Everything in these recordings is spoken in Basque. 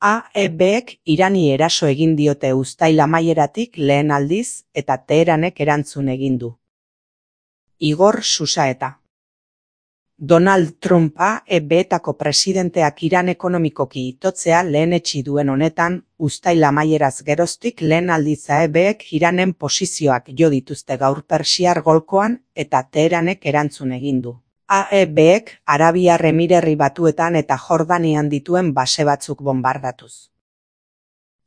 AEBek Irani eraso egin diote uztail amaieratik lehen aldiz eta Teheranek erantzun egin du. Igor Susaeta. Donald Trump AEBetako presidenteak Iran ekonomikoki itotzea lehenetsi duen honetan, uztail amaieraz geroztik lehen aldiz AEBek Iranen posizioak jo dituzte gaur Persiar golkoan eta Teheranek erantzun egin du. AEBek Arabiar Emirerri Batuetan eta Jordanian dituen base batzuk bonbardatuz.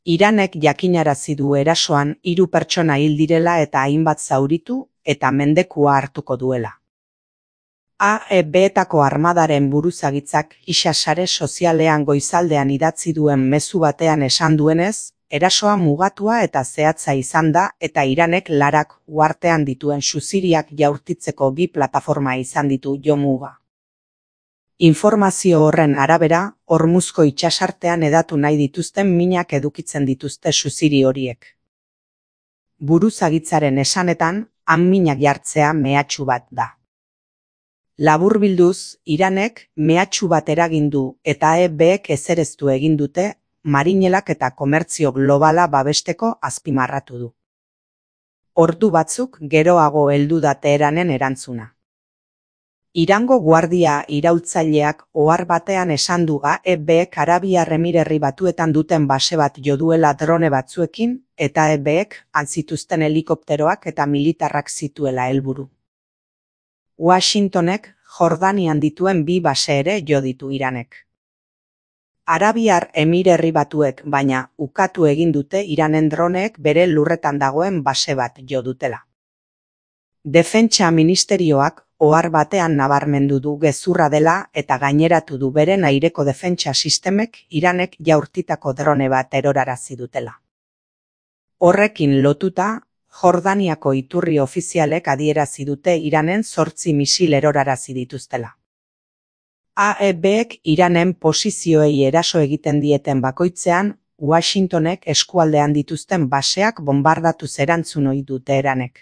Iranek jakinarazi du erasoan 3 pertsona hil direla eta hainbat zauritu eta mendekua hartuko duela. AEBetako armadaren buruzagitzak sare sozialean goizaldean idatzi duen mezu batean esan duenez, erasoa mugatua eta zehatza izan da eta Iranek larak uhartean dituen suziriak jaurtitzeko 2 plataforma izan ditu jo muga. Informazio horren arabera, Hormuzko itsasartean hedatu nahi dituzten minak edukitzen dituzte suziri horiek. Buruzagitzaren esanetan, han minak jartzea mehatxu bat da. Laburbilduz, Iranek mehatxu bat eragin du eta AEBek ezereztu egin dute marinelak eta komertzio globala babesteko azpimarratu du. Ordu batzuk geroago heldu da Teheranen erantzuna. Irango guardia iraultzaileak ohar batean esan du AEBek Arabiar Emirerri Batuetan duten base bat jo duela drone batzuekin eta AEBek antzituzten helikopteroak eta militarrak zituela helburu. Washingtonek Jordanian dituen 2 base ere jo ditu Iranek. Arabiar Emirerri Batuek baina ukatu egin dute Iranen droneek bere lurretan dagoen base bat jo dutela. Defentsa ministerioak ohar batean nabarmendu du gezurra dela eta gaineratu du beren aireko defentsa sistemek Iranek jaurtitako drone bat erorarazi dutela. Horrekin lotuta, Jordaniako iturri ofizialek adierazi dute Iranen 8 misil erorarazi dituztela. AEBek Iranen posizioei eraso egiten dieten bakoitzean, Washingtonek eskualdean dituzten baseak bonbardatuz erantzun ohi du Teheranek.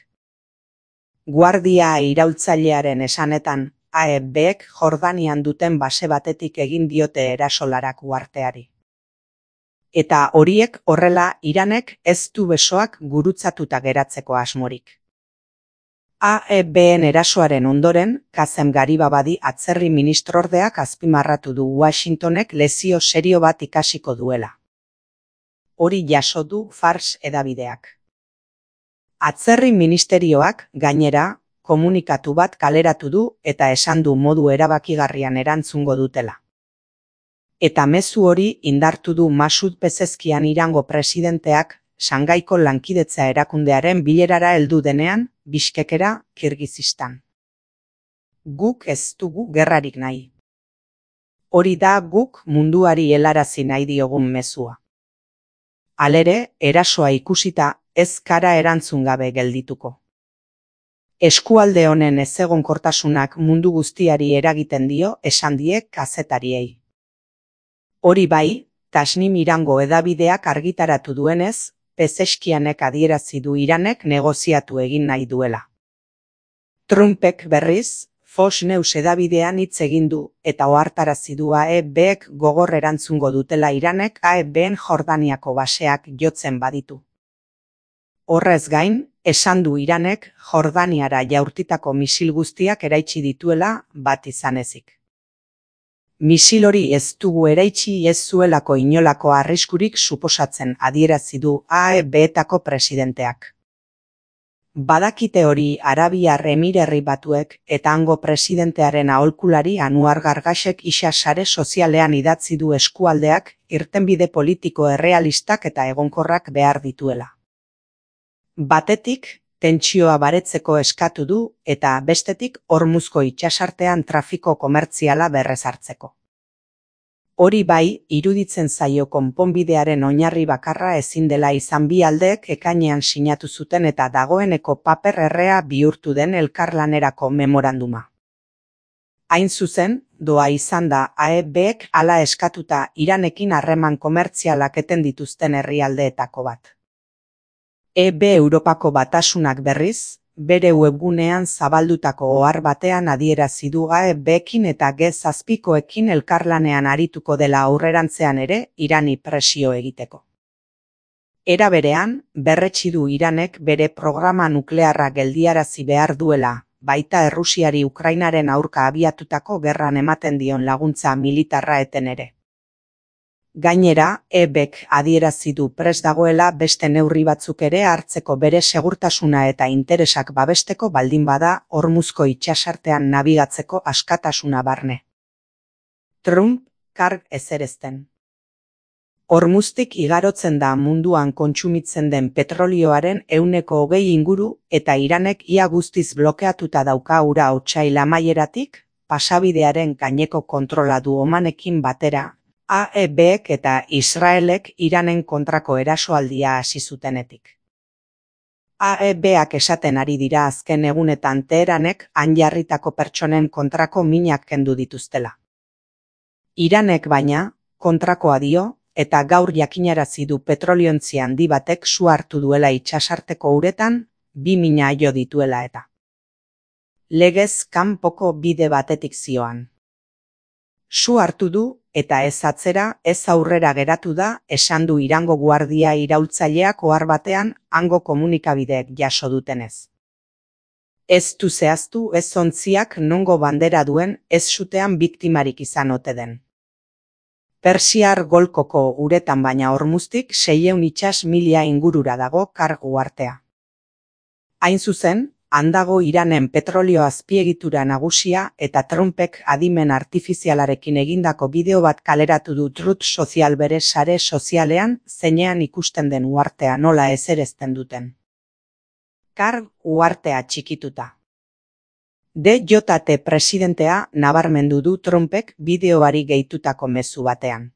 Guardia iraultzailearen esanetan, AEBek Jordanian duten base batetik egin diote erasolarak uharteari. Eta horiek horrela Iranek ez du besoak gurutzatuta geratzeko asmorik. AEBen erasoaren ondoren, Kazem Garibabadi atzerri ministrordeak azpimarratu du Washingtonek lesio serio bat ikasiko duela. Hori jaso du Fars hedabideak. Atzerri ministerioak, gainera, komunikatu bat kaleratu du eta esan du modu erabakigarrian erantzungo dutela. Eta mezu hori indartu du Masud Pezezkian Irango presidenteak Shangaiko lankidetza erakundearen bilerara heldu denean, Bishkekera, Kirgizistan. Guk ez dugu gerrarik nahi. Hori da guk munduari helarazi nahi diogun mezua. Halere, erasoa ikusita ez kara erantzun gabe geldituko. Eskualde honen ezegonkortasunak mundu guztiari eragiten dio esan die kazetariei. Hori bai, Tasnim Irango hedabideak argitaratu duenez, Pezeshkianek adierazi du Iranek negoziatu egin nahi duela. Trumpek berriz, Fox News hedabidean hitz egin du eta ohartarazi du AEBek gogor erantzungo dutela Iranek AEBen Jordaniako baseak jotzen baditu. Horrez gain, esan du Iranek Jordaniara jaurtitako misil guztiak eraitsi dituela bat izan ezik. Misil hori ez dugu eraitsi ez zuelako inolako arriskurik suposatzen adierazi du AEBetako presidenteak. Badakite hori Arabiar Emirerri Batuek eta hango presidentearen aholkulari Anwar Gargasek sare sozialean idatzi du eskualdeak irtenbide politiko errealistak eta egonkorrak behar dituela. Batetik, tentsioa baretzeko eskatu du eta bestetik Hormuzko itsasartean trafiko komertziala berrezartzeko. Hori bai, iruditzen zaio konponbidearen oinarri bakarra ezin dela izan bi aldeek ekainean sinatu zuten eta dagoeneko paper errea bihurtu den elkarlanerako memoranduma. Hain zuzen, doa izan da AEBek hala eskatuta Iranekin harreman komertzialak eten dituzten herrialdeetako bat. EB Europako Batasunak berriz, bere webgunean zabaldutako ohar batean adierazi du AEBekin eta G7ekin elkarlanean arituko dela aurrerantzean ere Irani presio egiteko. Era berean, berretsi du Iranek bere programa nuklearra geldiarazi behar duela, baita Errusiari Ukrainaren aurka abiatutako gerran ematen dion laguntza militarra eten ere. Gainera, EBek adierazi du prest dagoela beste neurri batzuk ere hartzeko bere segurtasuna eta interesak babesteko baldin bada Hormuzko itsasartean nabigatzeko askatasuna barne. Trump, karg ezerezten. Hormuztik igarotzen da munduan kontsumitzen den petrolioaren 20% inguru eta Iranek ia guztiz blokeatuta dauka ura otsail amaieratik, pasabidearen gaineko kontrola du Omanekin batera, AEBek eta Israelek Iranen kontrako erasoaldia hasi zutenetik. AEBak esaten ari dira azken egunetan Teheranek han jarritako pertsonen kontrako minak kendu dituztela. Iranek baina, kontrakoa dio, eta gaur jakinarazi du petroliontzi handi batek su hartu duela itsasarteko uretan, 2 mina jo dituela eta. Legez kanpoko bide batetik zioan. Su hartu du, eta ez atzera, ez aurrera geratu da, esan du Irango guardia iraultzaileak ohar batean hango komunikabideek jaso dutenez. Ez du zehaztu ez ontziak nongo bandera duen ez sutean biktimarik izan ote den. Persiar golkoko uretan baina Hormuztik 600 itsas milia ingurura dago kargu artea. Hain zuzen, handago Iranen petrolio azpiegitura nagusia eta Trumpek adimen artifizialarekin egindako bideo bat kaleratu du Truth Social bere sare sozialean zeinean ikusten den uhartea nola ezerezten duten. Karg uhartea txikituta. DJT presidentea nabarmendu du Trumpek bideoari gehitutako mezu batean.